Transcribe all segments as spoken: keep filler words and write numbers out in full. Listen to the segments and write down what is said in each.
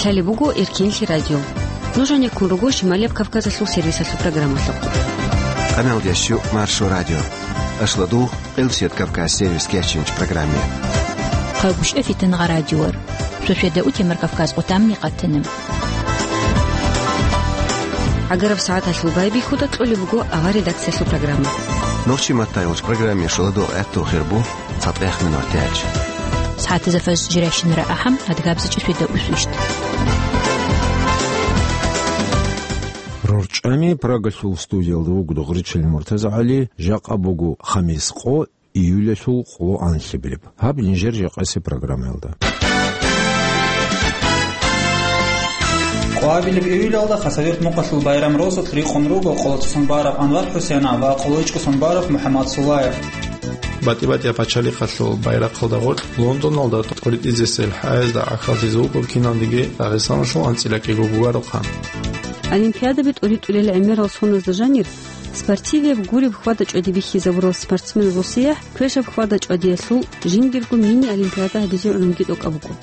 Талеб буго Эркенлъи радио. Нуж гьанеккун руго Шималияб Кавказалъул сервисалъул программалъухъ. Къаналдящу Маршо радио. Ашладу Къилсият Кавказ сервис кечинч программе. Къагушев Фитнагъа радиор. Шошеда утемар Кавказ къутамни къатанам. Агараб сагӀаталъул байбихьуда кьолеб буго авар редакциялъул программа. Нурчи Маттаевич программе шуладу гӀатту хирбу. ЦатӀехъ минутач. СагӀатазда фаз жирайщинара ахӀам, адгабзичӀи свида усвищ. РорчӀами Прагалъул студиялда вуго Дугъричил МуртазагӀали, жакъа буго хамис къо, июлялъул къо анлъабилеб. Гьаб нижер жакъасе программаялда. Къоабилеб июлялда Хасавюрт мухъалъул байрам росулъ рикъун руго Къолоцо Сунбараб Анвар ХӀусейнов ва КъолойчӀго Сунбараб МухӀаммад Сулаев. БатӀи-батӀияб пачалихъалъул байрахъалда гъоркь Лондоналда тӀоритӀизесел хӀаязда гӀахьаллъизе вуго киналниги Дагъистаналъул анцӀила кӀиго гугарухъан. Олимпиадаби тӀоритӀулел гӀемерал соназда жанир, спортивияб гуреб хьвада-чӀвади бихьизабурал спортсмен росиях квешаб хьвада-чӀвадиялъул жиндирго мини-олимпиада гьабизе гӀунги тӀокӀаб буго.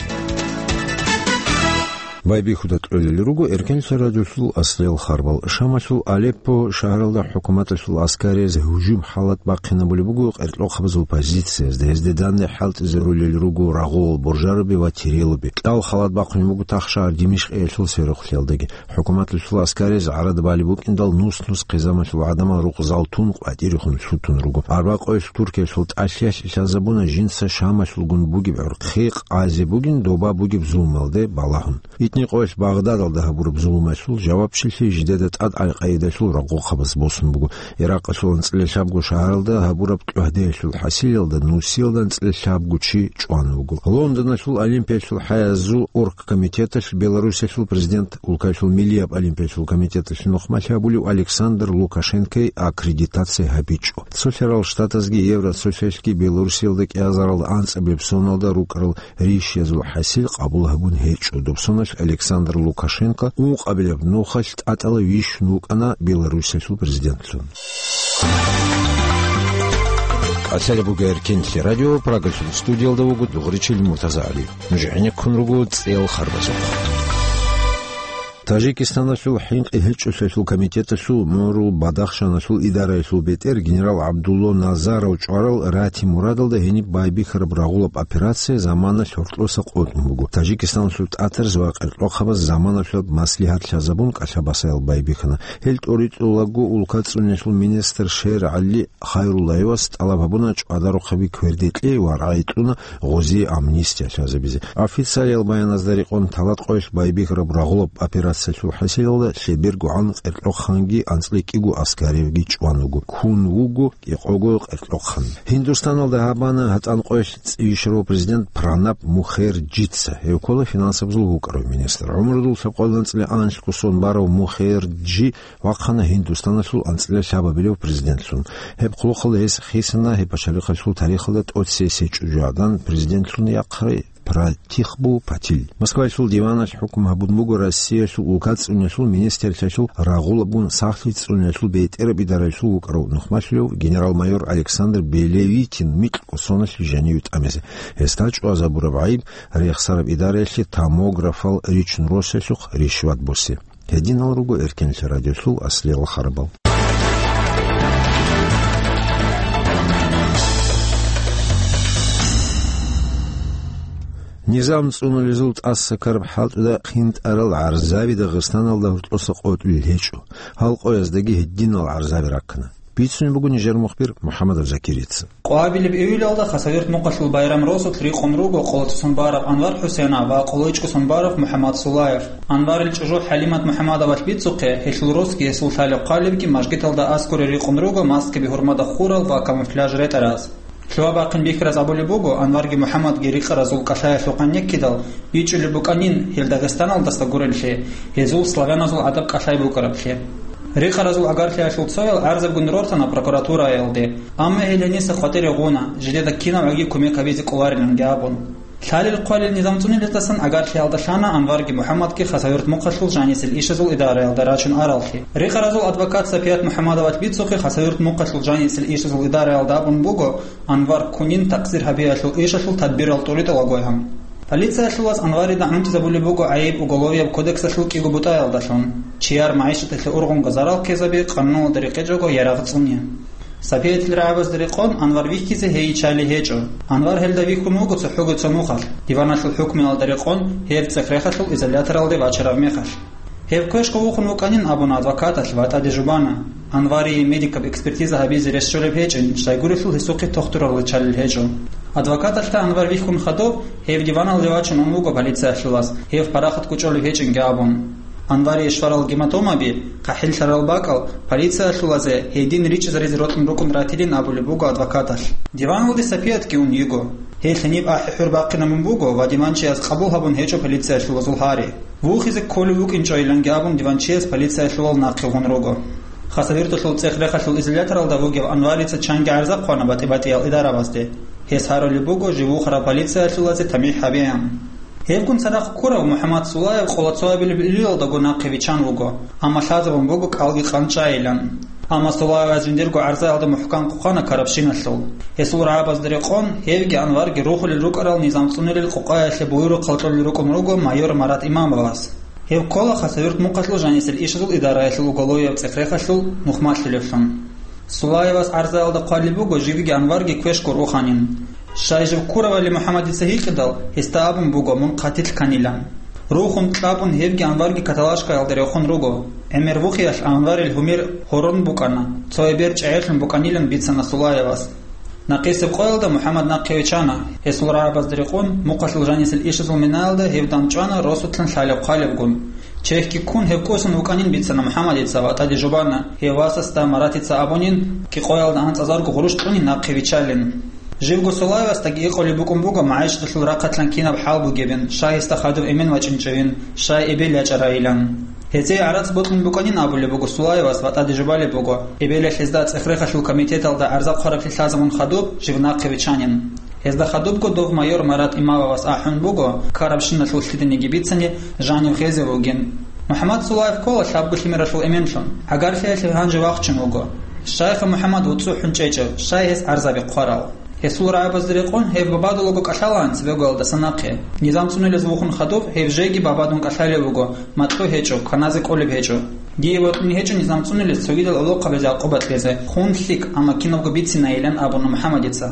Байбихьуда кьолел руго Эркенлъа радиолъул аслиял харбал. Шамалъул Алеппо шагьаралда хӀукуматалъул аскарияз гьужум-халат бахъинабулеб буго къеркьохъабазул позициязда, гьезде данде хӀалтӀизарулел руго рагъулал боржараби ва тирилаби. КӀал халат бахъунеб буго тахшагьар Димишкъиялъул сверухълъиялдаги. ХӀукуматалъул аскарияз гӀарада балеб букӀиндал нус-нус хъизамалъул гӀадамал рукъзал тун къватӀирехун лъутун руго. Арбакъоялъ Туркиялъул тӀалъиялъ лъазабуна жинца Шамалъулгун бугеб гӀурхъи къазе бугин доба бугеб зулмалде балагьун. Итникъоялъ Багъдадалда гьабураб зулмалъул жавабчилъи жидеда тӀад Аль-Къаидалъул рагъухъабаз босун буго. Иракъалъул анцӀила лъабго шагьаралда гьабураб кьогьдеялъул хӀасилалда нусиялда анцӀила лъабго чи чӀван вуго. Лондоналъул Олимпиялъул хӀаязул оргкомитеталъ Беларусиялъул президент, улкаялъул миллияб олимпиялъул комитеталъе нухмалъи гьабулев Александр Лукашенкой аккредитация гьабичӀо. Цолъарал Штатазги Евросоюзалъги Беларусиялда кӀиазарал анцӀабилеб соналда рукӀарал ришиязул хӀасил къабул гьабун гьечӀо. Доб соналъ Александр Лукашенко ункъабилеб нухалъ тӀатӀала вищун вукӀана Беларусиялъул президентлъун. Къалъалеб буго Эркенлъи радио, Прагалъул студиялда вуго Дугъричил МуртазагӀали. Нуж гӀенеккун руго цӀел харбазухъ. Тажикистаналъул хӀинкъи-гьечӀолъиялъул комитеталъул гӀумрул Бадахшаналъул идараялъул бетӀер генерал ГӀабдулло Назаров чӀварал рати-мурадалда гьениб байбихьараб рагъулаб операция заманалъ гьоркьоса къотӀун буго. Тажикистаналъул тӀатарз ва къеркьохъабаз заманалъулаб маслигьат лъазабун кӀалъа-басаял байбихьана. Гьел тӀоритӀулаго улка цӀуниялъул министр Шер ГӀали Хайруллаевас тӀалаб гьабуна чӀвадарухъаби кверде кьей ва рагӀи кьуна гъозие амнистия лъазабизе. Официалиял баяназда рекъон, талатӀкъоялъ байбихьараб рагъулаб операциялъул хӀасилалда лъебергогӀан къеркьохъанги анцӀила кӀиго аскаривги чӀван вуго. Ккун вуго кӀикъого къеркьохъан. Гьиндустаналда гьабана гьатӀанкъоялъ цӀийищарав президент Пранаб Мухерджица, гьев ккола финансабазул вукӀарав министр. ГӀумрудул лъабкъоялда анцӀила анлъго сон барав Мухерджи вахъана Гьиндустаналъул анцӀила лъабабилев президентлъун. Гьеб хъулухъалда гьес хисана гьеб пачалихъалъул тарихалда тӀоцесей чӀужугӀадан президентлъун яхъарай Пратихбу Патил. Москваялъул диваналъ хӀукму гьабун буго Россиялъул улка цӀуниялъул министрлъиялъул рагъулабгун сахлъи цӀуниялъул бетӀераб идараялъул вукӀарав нухмалъулев генерал-майор Александр Белевитин микьго соналъ жаниве тӀамизе. Гьесда чӀвазабураб гӀайиб рехсараб идараялъе томографал ричун росиялъухъ ришват босе. Гьединал руго Эркенлъа радиолъул аслиял харбал. Низам цӀунулезул тӀаса ккараб хӀалтӀуда хъинтӀарал гӀарзаби Дагъистаналда гьоркьоса къотӀулел гьечӀо. Гьал къояздаги гьединал гӀарзаби раккана. Бицунеб буго нижер мухбир МухӀаммадов Закирица. Къоабилеб июлалда Хасавюрт мукъалъул байрам росулъ рикъун руго Къолоцо Сунбараб Анвар ХӀусейнов ва КъолойчӀго Сунбараб МухӀаммад Сулаев. Анварил чӀужу ХӀалимат МухӀаммадовалъ бицухъе, гьелъул росги гьесул лъалеб-хъвалебги мажгиталда аскӀоре рикъун руго маскаби гьурмада хурал ва камуфляж ретӀараз. Лъугьа-бахъин бихьараз абулеб буго, Анварги МухӀаммадги рикъаразул кӀалъаялъухъ гьанеккидал, бичӀчӀулеб букӀанин, гьел Дагъистаналдаса гуреллъи, гьезул славяназул гӀадаб кӀалъай букӀараблъи. Рикъаразул агарлъиялъул цоял гӀарзабгун рортана прокуратураялде, амма гьел гьениса хватӀире гъуна, жидеда кинавгӀаги кумек гьабизе кӀолариланги абун. Лъалел-хъвалел низам цӀунилетасан агарлъиялда лъана Анварги МухӀаммадги Хасавюрт мухъалъул жанисел ишазул идараялда рачун араллъи. Рикъаразул адвокат Сапият МухӀаммадовалъ бицухъе Хасавюрт мухъалъул жанисел ишазул идараялда абун буго, Анвар кунин такъсир гьабиялъул ишалъул тадбирал тӀуритӀулагойгьан. Полициялъулаз Анварида гӀунтӀизабулеб буго гӀайиб Уголовияб кодексалъул кӀиго бутӀаялдалъун: чияр магӀишаталъе ургъунго зарал ккезаби, къануналда рекъечӀого ярагъ цӀуни. Сапиятил рагӀабазда рекъон Анвар вихьизе гьей чали гьечӀо. Анвар гьелда вихьун вуго цохӀого цо нухалъ, диваналъул хӀукмуялда рекъон гьев цӀех-рехалъул изоляторалде вачараб мехалъ. Гьев квешго вухун вукӀанин абуна адвокаталъ ва тӀаде жубана, Анварие медикаб экспертиза гьабизе рес щолеб гьечӀин, щайгурелъул гьесухъе тохтурал риччалел гьечӀо. Адвокаталъ Анвар вихьун хадуб, гьев диваналде вачун ун вуго полициялъулаз, гьев парахат кӀучӀолеб гьечӀинги абун. Анварие щварал гематомаби, хъахӀиллъарал бакӀал, полициялъулазе гьедин ричӀчӀизаризе рокьун рукӀун ратилин абулеб буго адвокаталъ. Диваналде Сапиятги ун йиго. Гьел гьениб ахӀи-хӀур бахъинабун буго ва диванчияс къабул гьабун гьечӀо полициялъулазул гьари. Вухизе кколев вукӀинчӀойиланги абун диванчияс полициялъулал нахъе гъун руго. Хасавюрталъул цӀех-рехалъул изоляторалда вугев Анварица чанги гӀарза хъвана батӀи-батӀиял идарабазде. Гьес гьарулеб буго жив вухарав полициялъулазе тамихӀ гьабеян. Гьевгун цадахъ ккурав МухӀаммад Сулаев къоло цоабилеб июлалдаго нахъе виччан вуго, амма лъазабун буго кӀалги къанчӀайилан. Амма Сулаевас жиндирго гӀарзаялда мухӀкан хъвана карабщиналъул. Гьесул рагӀабазда рекъон, гьевги Анварги рухулел рукӀарал низам цӀунилел къукъаялъе буюрухъал кьолел рукӀун руго майор Марат Имамовас. Гьев ккола Хасавюрт мухъалъул жанисел ишазул идараялъул уголовияб цӀех-рехалъул нухмалъулевлъун. Сулаевас гӀарзаялда хъвалеб буго живги Анварги квешго руханин. Щай жив ккуравали МухӀаммадица гьикъидал, гьесда абун буго мун хъатилъ кканилан. Рухун кьабун гьевги Анварги каталажкаялда рехун руго. ГӀемер вухиялъ Анварил гьумер гьорон букӀана, цо эбел чӀегӀерлъун букӀанилан бицана Сулаевас. Накъисеб къоялда МухӀаммад нахъе виччана, гьесул рагӀабазда рекъон, мухъалъул жанисел ишазул минаялда гьев дандчӀвана росулъан лъалеб-хъвалебгун. Чехьги ккун гьев кӀусун вукӀанин бицана МухӀаммадица ва тӀаде жубана, гьев васасда Маратица абунин, кӀикъоялда анцӀазарго гъурущ кьунин нахъе виччалин. Живго Сулаевасдаги гьикъулеб букӀун буго магӀишаталъул рахъалъан кинаб хӀал бугебин, щай гьесда хадув эмен вачӀинчӀевин, щай эбел ячӀарайилан. Гьезие гӀарац бокьун букӀанин абулеб буго Сулаевас ва тӀаде жубалеб буго, эбелалъ гьезда цӀех-рехалъул комитеталда гӀарза хъвараблъи лъазабун хадуб жив нахъе виччанин. Гьезда хадубго дов майор Марат Имамовас ахӀун буго, ккарабщиналъул лъиданиги бицани, жанив гъезев вугин. МухӀаммад Сулаев ккола лъабго лъимералъул эменлъун, гӀагарлъиялъе гьанже вахчун вуго. Щайха МухӀаммад вуцӀцӀухӀун чӀечӀев, щай гьес гӀарзаби хъварал? Гьесул рагӀабазда рекъон гьев бабадулаго кӀалъалаан цебегоялдаса нахъе. Низам цӀунилез вухун хадуб, гьев жеги бабадун кӀалъалев вуго, макьу гьечӀо, кваназе кӀолеб гьечӀо. Дие бокьун гьечӀо низам цӀунилез цогидал гӀолохъабазе акъубат кьезе, хун лъикӀ, амма кинабго бицинайилан абуна МухӀаммадица.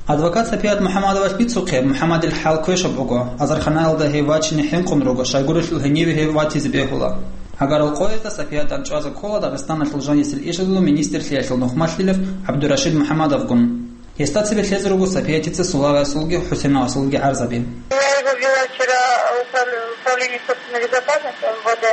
Адвокат Сапият МухӀаммадовас бицухъе, МухӀаммадил хӀал квешаб буго, азарханаялда гьев вачине хӀинкъун руго, щайгурелъул гьениве гьев ватизе бегьула. Гьагарал къоязда Сапиятан чӀвазе ккола Дагъистаналъул жанисел ишазул министрлъиялъул нухмалъилев ГӀабдурашид МухӀаммадовгун. Гьесда цебе лъезе руго Сапиятица Сулаевасулги ХӀусеновасулги гӀарзаби. Я его вела вчера в управ-, управление собственной безопасности МВД.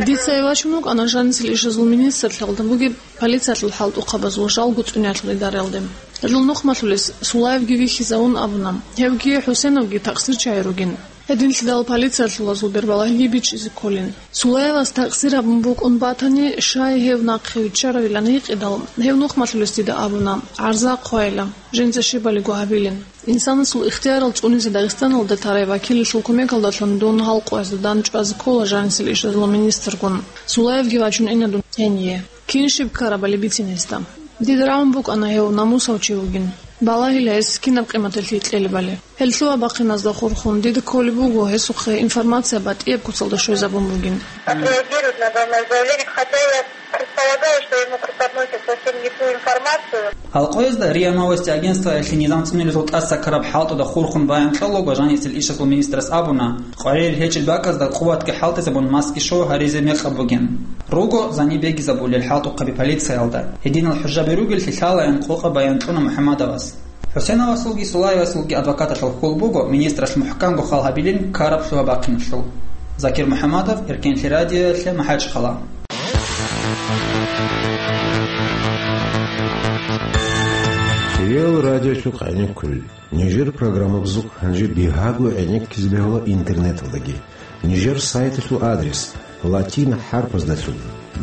Дица вачун вукӀана жанисел ишазул министрлъиялда бугеб полициялъул хӀалтӀухъабазул жалго цӀуниялъул идараялде. Гьелъул нухмалъулес Сулаевги вихьизавун абуна, гьевги ХӀусеновги такъсирчагӀи ругин. Гьединлъидал полициялъулазул бербалагьиги бичӀчӀизе кколин. Сулаевас такъсир гьабун букӀун батани, щай гьев нахъе виччаравилан гьикъидал, гьев нухмалъулес дида абуна, гӀарза хъвайила, жинца щибалиго гьабилин. Инсанасул ихтиярал цӀунизе Дагъистаналда тарай вакиллъул кумекалдалъун дун гьал къоязда дандчӀвазе ккола жанисел ишазул министргун. Сулаевги вачун ина дун гьение. Кин щиб ккарабали бицин гьесда. Дида рагӀун букӀана гьев намусав чи вугин. Балагьила гьес кинаб къиматалъе кьелебали. Гьел лъугьа-бахъиназда хурхун, дида кколеб буго гьесухъе информация батӀияб куцалда щвезабун бугин. Отреагирует на данное заявление, хотя я предполагаю, что ему преподносят совсем не ту информацию. Гьал къоязда РИА Новости агентствоялъе низам цӀунилезул тӀаса ккараб хӀалтӀуда хурхун баян кьолаго жанисел ишазул министрас абуна, къварил гьечӀел бакӀазда къуватги хӀалтӀизабун масги шо гьаризе мекъаб бугин. Руго зани бегизабулел хӀалтӀухъаби полициялда. Гьединал хӀужаби ругеллъи лъалаян къокъа баян кьуна МухӀаммадовас. ХӀусеновасулги Сулаевасулги адвокаталъул хьул буго министрас мухӀканго хал гьабилин ккараб лъугьа-бахъиналъул. Закир МухӀаммадов, Эркенлъи радиоялъе, МахӀачхъала. Реал радиолъухъ гӀенеккулел. Нижер программабазухъ гьанже бигьаго гӀенеккизе бегьула интернеталдаги. Нижер сайталъул адрес латин хӀарпаздалъун: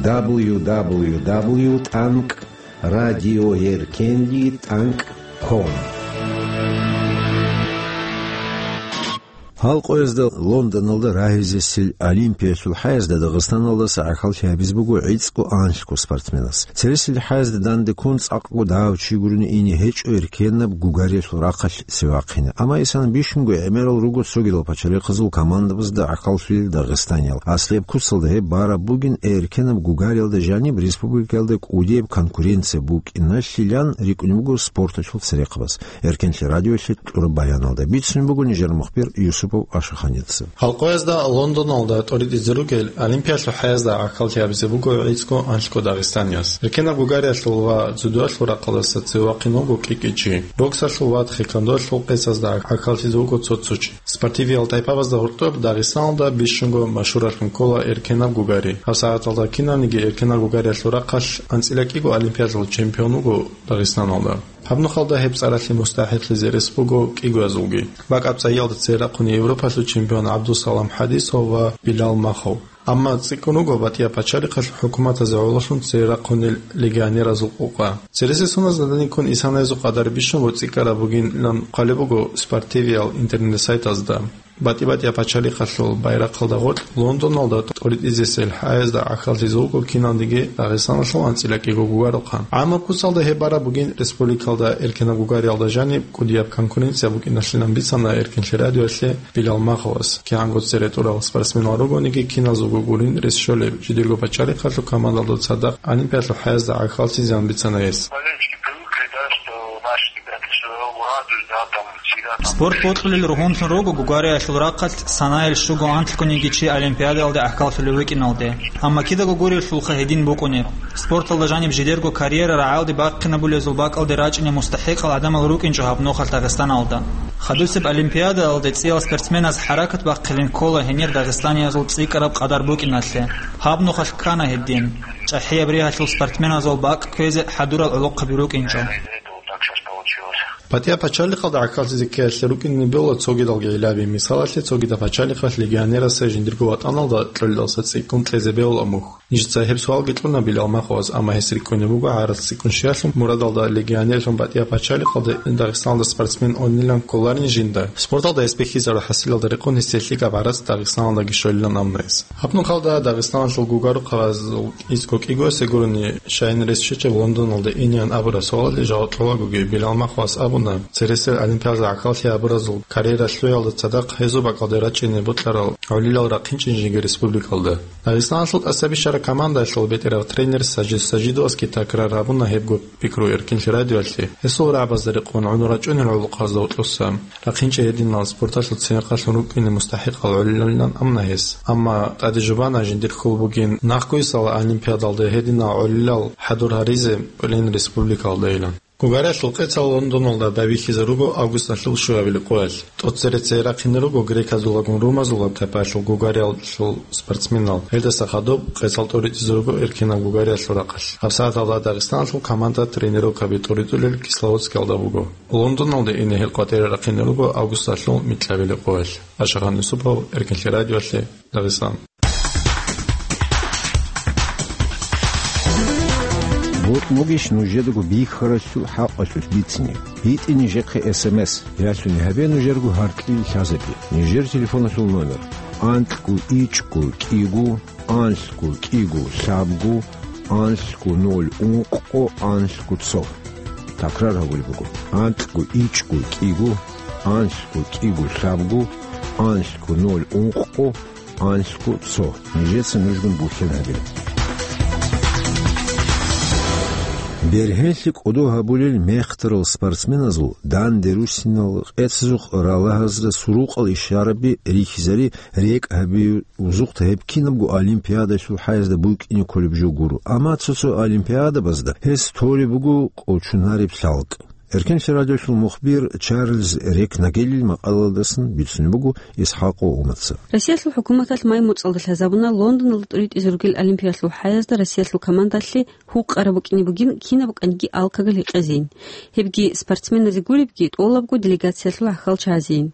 дабл ю дабл ю дабл ю тӀанкӀ радиоеркенлъи тӀанкӀ ком. Гьал къоязда Лондоналда рагьизесил Олимпиялъул хӀаязда Дагъистаналдаса гӀахьаллъи гьабизе буго гӀицӀго анлъго спортсменас. Цересел хӀаязда данде ккун цӀакъго дагьав чи гурони ине гьечӀо эркенаб гугариялъул рахъалъ цевахъине. Амма исана бищунго гӀемерал руго цогидал пачалихъазул командабазда гӀахьаллъулел дагъистаниял. Аслияб куцалда гьеб бараб бугин, эркенаб гугариялда жаниб республикаялда кӀудияб конкуренция букӀиналъилан рикӀкӀунеб буго спорталъул церехъабаз. Эркенлъи радиоялъе кьураб баяналда бицунеб буго нижер мухбир Юсупов Ашаханица. Гьал къоязда Лондоналда тӀоритӀизе ругел Олимпиялъул хӀаязда гӀахьаллъи гьабизе буго гӀицӀго анлъго дагъистанияс. Эркенаб гугариялъул ва дзюдоялъул рахъалдаса цевахъин вуго кӀи-кӀи чи. Боксалъул ва тхэквондоялъул къецазда гӀахьаллъизе вуго цо-цо чи. Спортивиял тайпабазда гьоркьоб Дагъистаналда бищунго машгьуралъун ккола эркенаб гугари. ГьабсагӀаталда кинавниги эркенаб гугариялъул рахъалъ анцӀила кӀиго олимпиадалъул чемпион вуго Дагъистаналда. Гьаб нухалда гьеб цӀаралъе мустахӀикълъизе рес буго кӀигоязулги. БакӀаб цӀайиялда цере рахъуна Европалъул чемпион ГӀабдусалам ХӀадисов ва Билал Махов. Амма цӀикӀкӀун руго БатӀияб пачалихъалъул хӀукуматазе гӀололъун цере рахъунел легионеразул къукъа. Цересел суназда данде ккун исана гьезул къадар бищунго цӀикӀкӀараб бугилан хъвалеб буго спортивиял интернет-сайтазда. БатӀи-батӀияб пачалихъалъул байрахъалда гъоркь Лондоналда тӀоритӀизесел хӀаязда гӀахьаллъизе вуго киналниги Дагъистаналъул анцӀила кӀиго гугарухъан. ГӀамаб куцалда гьеб бараб бугин республикалда эркенаб гугариялда жаниб кӀудияб конкуренция букӀиналъилан бицана Эркенлъи радиоялъе Билал Маховас. КигӀанго цере тӀурал спортсменал ругониги, киназулго гурин рес щолеб, жидерго пачалихъалъул командалда цадахъ Олимпиялъул хӀаязда гӀахьаллъизеян бицана гьес. Болельщики привыкли, да, что наши ребята всё равно радуют, да, там, всегда там. Спорт бокьулел ругьунлъун руго гугариялъул рахъалъ санаялъ щуго анлъгониги чи Олимпиадаялде гӀахьаллъулев вукӀиналде. Амма кидаго гурелъулха гьедин букӀунеб. Спорталда жаниб жидерго карьера рагӀалде бахъинабулезул бакӀалде рачӀине мустахӀикъал гӀадамал рукӀинчӀо гьаб нухалъ Дагъистаналда. Хадусеб Олимпиадаялде цӀиял спортсменаз хӀаракат бахъилин ккола гьенир дагъистаниязул цӀикӀкӀараб къадар букӀиналъе. Гьаб нухалъ ккана гьедин. ЧӀахӀияб ригьалъул спортсменазул бакӀ кквезе хӀадурал гӀолохъаби рукӀинчӀо. БатӀияб пачалихъалда гӀахьаллъизе ккеялъе рукӀине бегьула цогидалги гӀиллаби. Мисалалъе, цогидаб пачалихъалъ легионерасда жиндирго ватӀаналда кьолелдаса цӀикӀкӀун кьезе бегьула мухь. Нижеца гьеб суалги кьуна Билал Маховас, амма гьес рикӀкӀунеб буго гӀарац цӀикӀкӀун щвеялъул мурадалда легионерлъун батӀияб пачалихъалде Дагъистаналда спортсмен унилан кколарин жинда. Спорталда гьес бихьизарул хӀасилалда рекъон гьесие лъикӀаб гӀарац Дагъистаналдаги щолилан амна гьес. Гьаб нухалда Дагъистаналъул гугарухъазул гӀицӀго кӀигоясе гурони, щайин рес щвечӀеб Лондоналде инеян абураб суалалде жаваб кьолагоги, Билал Маховас абуна, цересел Олимпиадалда гӀахьаллъи гьабуразул карьера лъугӀиналда цадахъ гьезул бакӀалде рачӀине бокьарал гӀолилал рахъинчӀин жеги республикалда. Дагъистаналъул тӀаса бищараб командаялъул бетӀерав тренер Сажид Сажидовасги такрар гьабуна гьебго пикру Эркинлъи радиоялъе. Гьесул рагӀабазда рекъон гӀун рачӀунел гӀолохъазда гьоркьоса рахъинчӀей гьединал спорталъул церехъалъун рукӀине мустахӀикъал гӀолилалилан амна гьес. Амма тӀаде жубана жиндир хьул бугин нахъгойсала Олимпиадалда гьединал гӀолилал хӀадур гьаризе кӀолин республикалдайилан. Гугариялъул къецал Лондоналда байбихьизе руго августалъул щуабилеб къоялъ. ТӀоцере цере рахъине руго греказулагун румазулаб тайпаялъул гугариялъул спортсменал. Гьелдаса хадуб къецал тӀоритӀизе руго эркенаб гугариялъул рахъалъ. ГьабсагӀаталда Дагъистаналъул команда тренировкаби тӀоритӀулел Кисловодскиялда буго. Лондоналде ине гьел къватӀире рахъине руго августалъул микьабилеб къоялъ. Ашагъан Юсупов, Эркинлъи радиоялъе, Дагъистан. Бокьулищ нужедаго бихьаралъул хӀакъалъулъ бицине. БитӀе нижехъе эс эм эс, ялъуни гьабе нужерго гьаркьил лъазабе. Нижер телефоналъул номер: анкьго ичӀго кӀиго, анлъго кӀиго лъабго, анлъго ноль ункъго, анлъго цо. Такрар гьабулеб буго: анкьго ичӀго кӀиго, анлъго кӀиго лъабго, анлъго ноль ункъго, анлъго цо. Нижеца нужгун бухьен гьабила. Бергьенлъи кӀодо гьабулел мехтарал спортсменазул данде руссинал къецазухъ ралагьазда сурукъал ишараби рихьизари рекӀ гьаби узухъ гьеб кинабго олимпиадалъул хӀаязда букӀине кколеб жо гуро. Амма цо-цо олимпиадабазда гьес толеб буго кӀочонареб лъалкӀ. Эркенлъи радиоялъул мухбир Чарльз Рекнагелил макъалаялдасан бицунеб буго Исхакъов Умаца. Россиялъул хӀукуматалъ май муцӀалда лъазабуна Лондоналда тӀуритӀизе ругел Олимпиялъул хӀаязда Россиялъул командалъе гьукъараб букӀине бугин кинаб букӀаниги алкагал гьекъезейин. Гьебги спортсменазе гуребги тӀолабго делегациялъул гӀахьалчагӀазейин.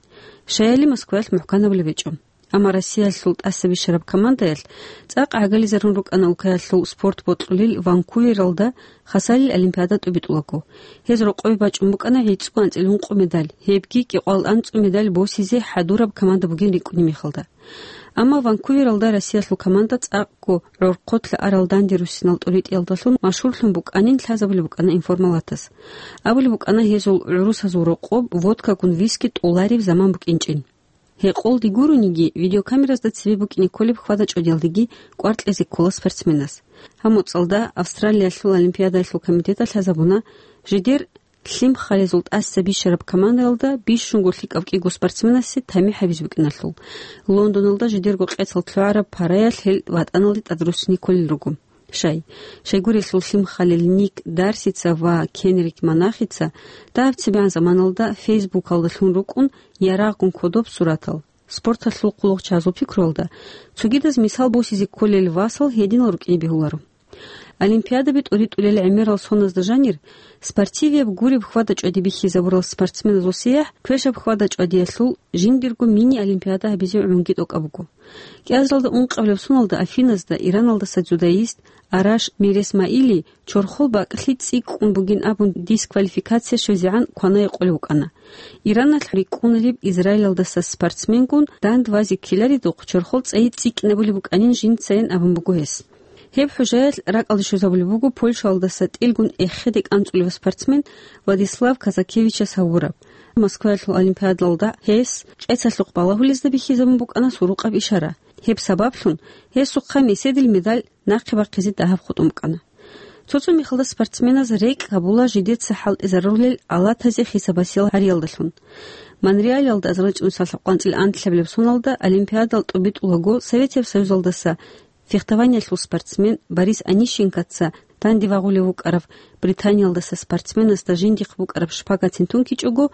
Шайили Москваялъ мухӀканабулеб гьечӀо. Амма Россиялъул тӀаса бищараб командаялъ цӀакъ гӀагализарун рукӀана улкаялъул спорт бокьулел Ванкувералда хасалил олимпиада тӀубитӀулаго. Гьез рокъове бачӀун букӀана гӀицӀго анцӀил ункъо медаль, гьебги кӀикъоялда анцӀго медаль босизе хӀадураб команда бугин рикӀкӀунеб мехалда. Амма Ванкувералда Россиялъул команда цӀакъго гӀорхъолъа арал данде руссинал тӀоритӀиялдалъун машгьурлъун букӀанин лъазабулеб букӀана информалатас. Абулеб букӀана гьезул гӀурусазул рокъоб водкагун виски тӀолареб заман букӀинчӀин. Гьекъолде гурониги, видеокамеразда цебе букӀине кколеб хьвада-чӀвадиялдеги кӀвар кьезе ккола спортсменас. Гьаб моцӀалда Австралиялъул олимпиадаялъул комитеталъ лъазабуна, жидер лъимхалезул тӀаса бищараб командаялда бищунго лъикӀав кӀиго спортсменасе тамихӀ гьабизе букӀиналъул, Лондоналда жидерго къецал лъугӀараб параялъ гьел ватӀаналде тӀадруссине кколел руго. Щай, щайгурелъул лъимхалел Ник Дарсица ва Кенрик Монахица дагьаб цебегӀан заманалда Фейсбукалда лъун рукӀун ярагъгун кодоб суратал, спорталъул хъулухъчагьазул пикруялда, цогидаз мисал босизе кколел васал гьединал рукӀине бегьуларо. Олимпиадаби тӀоритӀулел гӀемерал соназда жанир, спортивияб гуреб хьвада-чӀвади бихьизабурал спортсменазул сияхӀ квешаб хьвада-чӀвадиялъул жиндирго мини-олимпиада гьабизе гӀунги тӀокӀаб буго. КӀиазалда ункъабилеб соналда Афиназда Ираналдаса дзюдоист Араш Миресмаили чорхол бакӀлъи цӀикӀкӀун бугин абун дисквалификация щвезегӀан кванае къулев вукӀана. Ираналъ рикӀкӀунареб Израилалдаса спортсменгун дандбазе ккеларидухъ чорхол цӀайи цӀикӀкӀинабулеб букӀанин жинцайин абун буго гьес. Гьеб хӀужаялъ ракӀалде щвезабулеб буго Польшаялдаса тӀилгун эхеде кӀанцӀулев спортсмен Владислав Казакевичас гьавураб. Москваялъул олимпиадалда гьес кӀецалъухъ балагьулезда бихьизабун букӀана сурукъаб ишара. Гьеб сабаблъун гьесухъа меседил медаль нахъе бахъизе дагьаб хутӀун букӀана. Цо-цо мехалда спортсменаз рекӀкӀ гьабула жидеца хӀалтӀизарулел алатазе хисабасиял гьариялдалъун. Монреалиялда азарилчӀун салхӀ къванцӀил анлъабилеб соналда олимпиадал тӀубитӀулаго Советияб Союзалдаса фехтованиялъул спортсмен Борис Онищенкоца данде вагъулев вукӀарав Британиялдаса спортсменасда жиндихъ букӀараб шпагатин тункичӀого,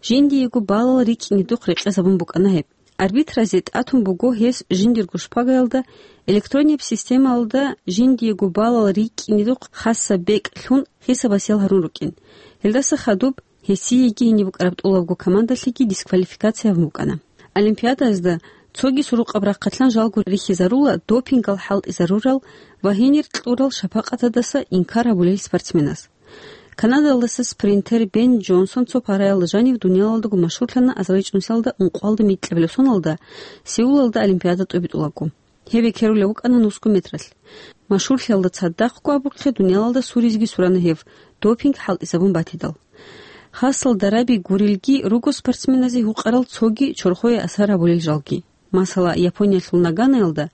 жиндиего балал рикӀкӀинедухъ рекъезабун букӀана гьеб. Арбитразе тӀатун буго гьес жиндирго шпагаялда, электроннияб системаялда жиндиего балал рикӀкӀинедухъ хасаб бекӀ лъун хисабасиял гьарун рукӀин. Гьелдаса хадуб гьесиеги гьениб букӀараб тӀолабго командалъеги дисквалификация гьабун букӀана. Олимпиадаязда цоги сурукъаб рахъалъан жалго рихьизарула допингал хӀалтӀизарурал ва гьенир кьурал шапакъатадаса инкар гьабулел спортсменаз. Канадалдаса спринтер Бен Джонсон цо параялда жанив дуниялалдаго машгьурлъана азарилчӀунсиялда ункъоялда микьабилеб соналда Сеулалда олимпиада тӀубитӀулаго. Гьеб бекерулев вукӀана нусго метралъ. Машгьурлъиялда цадахъго абухъе дуниялалда суризеги сурана гьев, допинг хӀалтӀизабун батидал. Хасал дараби гурелги руго спортсменазе гьукъарал цоги чорхое асар гьабулел жалги. Масала, Япониялъул Наганаялда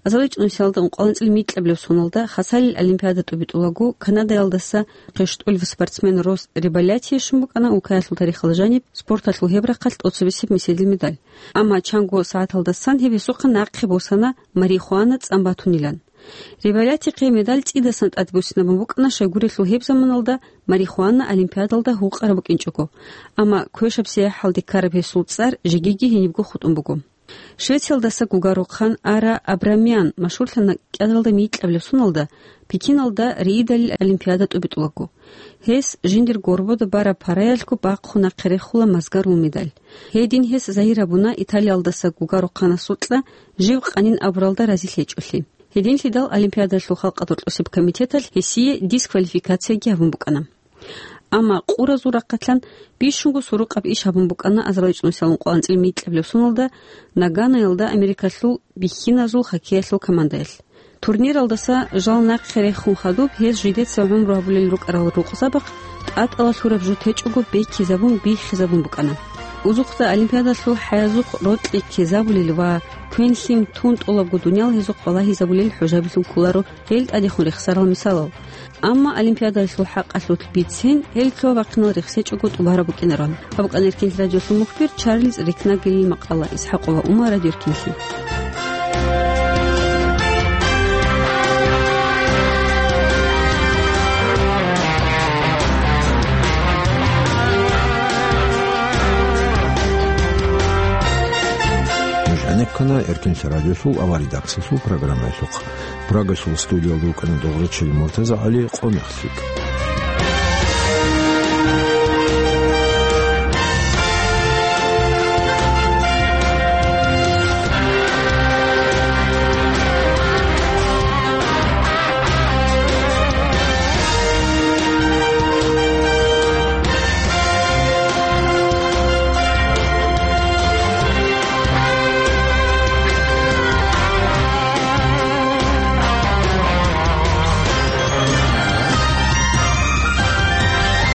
азарилчӀунсиялда ункъоялда анцӀила микьабилеб соналда хасалил олимпиада тӀубитӀулаго Канадаялдаса хъищтӀулев спортсмен Рос Реболятие щун букӀана улкаялъул тарихалда жаниб спорталъул гьеб рахъалъ тӀоцебесеб меседил медаль. Амма чанго сагӀаталдасан гьеб гьесухъа нахъе босана марихуана цӀан батунилан. Реболятихъе медаль цӀидасан тӀад буссинабун букӀана, щайгурелъул гьеб заманалда марихуана олимпиадалда гьукъараб букӀинчӀого. Амма квешаб сияхӀалде ккараб гьесул цӀар жегиги гьенибго хутӀун буго. Швециялдаса гугарухъан Ара Абрамян машгьурлъана кӀиазалда микьабилеб соналда Пекиналда риидалил олимпиада тӀубитӀулаго. Гьес жиндир горбода бараб параялъго бахъун нахъе рехула мазгарул медаль. Гьедин гьес загьир гьабуна Италиялдаса гугарухъанасукьа жив къанин абуралда разилъ гьечӀолъи. Гьединлъидал Олимпиадалъул халкъалда рокьосеб комитеталъ гьесие дисквалификацияги гьабун букӀана. Амма къуразул рахъалъан бищунго сурукъаб иш гьабун букӀана азарилчӀунсиялда ункъоялда анцӀила микьабилеб соналда Наганаялда Америкалъул бихьиназул хоккеялъул командаялъ. Турниралдаса жал нахъе рехун хадуб гьез жидеца гӀумру гьабулел рукӀарал рукъзабахъ тӀатӀала лъураб жо течӀого бекизабун биххизабун букӀана. Узухъда Олимпиадалъул хӀаязухъ рокьи ккезабулел ва квен-лъим тун тӀолабго дуниял гьезухъ балагьизабулел хӀужабилъун кколаро гьел тӀадехун рехсарал мисалал. Амма Олимпиадалъул хӀакъалъулъ бицен гьел лъугьа-бахъинал рехсечӀого тӀубараб букӀинароан. Гьаб букӀана Эркин радиолъул мухбир Чарльз Рикнагелил макъала. Исхьакъова Умар, Радио Эркинлъи. Нуж гӀенеккана Эркинлъи радиолъул аваридаксалъул программаялъухъ. Прагасул студиялда вукӀана Догърачил МуртазагӀали, къо мехлъи.